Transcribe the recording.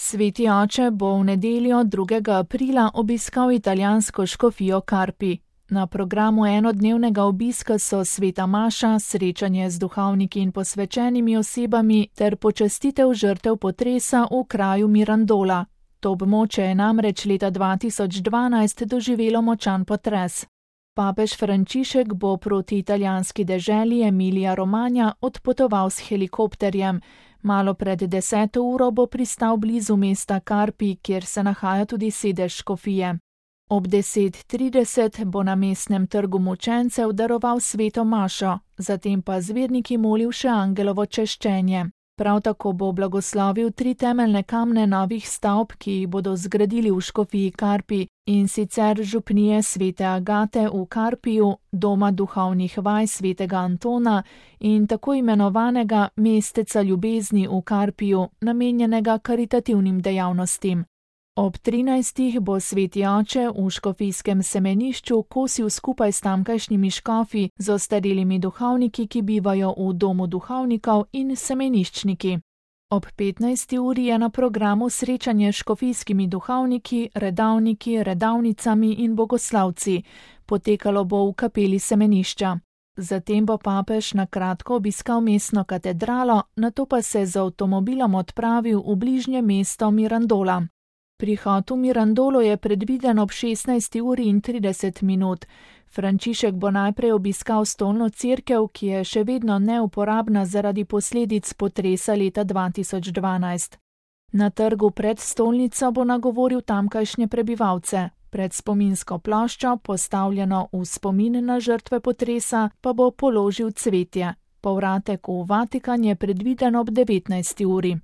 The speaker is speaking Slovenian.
Sveti oče bo v nedeljo 2. aprila obiskal italijansko škofijo Carpi. Na programu enodnevnega obiska so sveta maša, srečanje z duhovniki in posvečenimi osebami ter počastitev žrtev potresa v kraju Mirandola. To območje je namreč leta 2012 doživelo močan potres. Papež Frančišek bo proti italijanski deželi Emilia Romagna odpotoval s helikopterjem. Malo pred 10. uro bo pristal blizu mesta Carpi, kjer se nahaja tudi sedež škofije. Ob 10:30 bo na mestnem trgu mučencev daroval sveto mašo, zatem pa z verniki molil še angelovo češčenje. Prav tako bo blagoslovil 3 temeljne kamne novih stavb, ki jih bodo zgradili v škofiji Carpi, in sicer župnije svete Agate v Carpiju, doma duhovnih vaj svetega Antona in tako imenovanega mesteca ljubezni v Carpiju, namenjenega karitativnim dejavnostim. Ob 13. bo sveti oče v škofijskem semenišču kosil skupaj s tamkajšnjimi škofi z ostarelimi duhovniki, ki bivajo v domu duhovnikov in semeniščniki. Ob 15. uri je na programu srečanje s škofijskimi duhovniki, redavniki, redavnicami in bogoslavci. Potekalo bo v kapeli semenišča. Zatem bo papež na kratko obiskal mestno katedralo, nato pa se z avtomobilom odpravil v bližnje mesto Mirandola. Prihod v Mirandolo je predviden ob 16:30. Frančišek bo najprej obiskal stolno cerkev, ki je še vedno neuporabna zaradi posledic potresa leta 2012. Na trgu pred stolnico bo nagovoril tamkajšnje prebivalce. Pred spominsko ploščo, postavljeno v spomin na žrtve potresa, pa bo položil cvetje. Povratek v Vatikan je predviden ob 19. uri.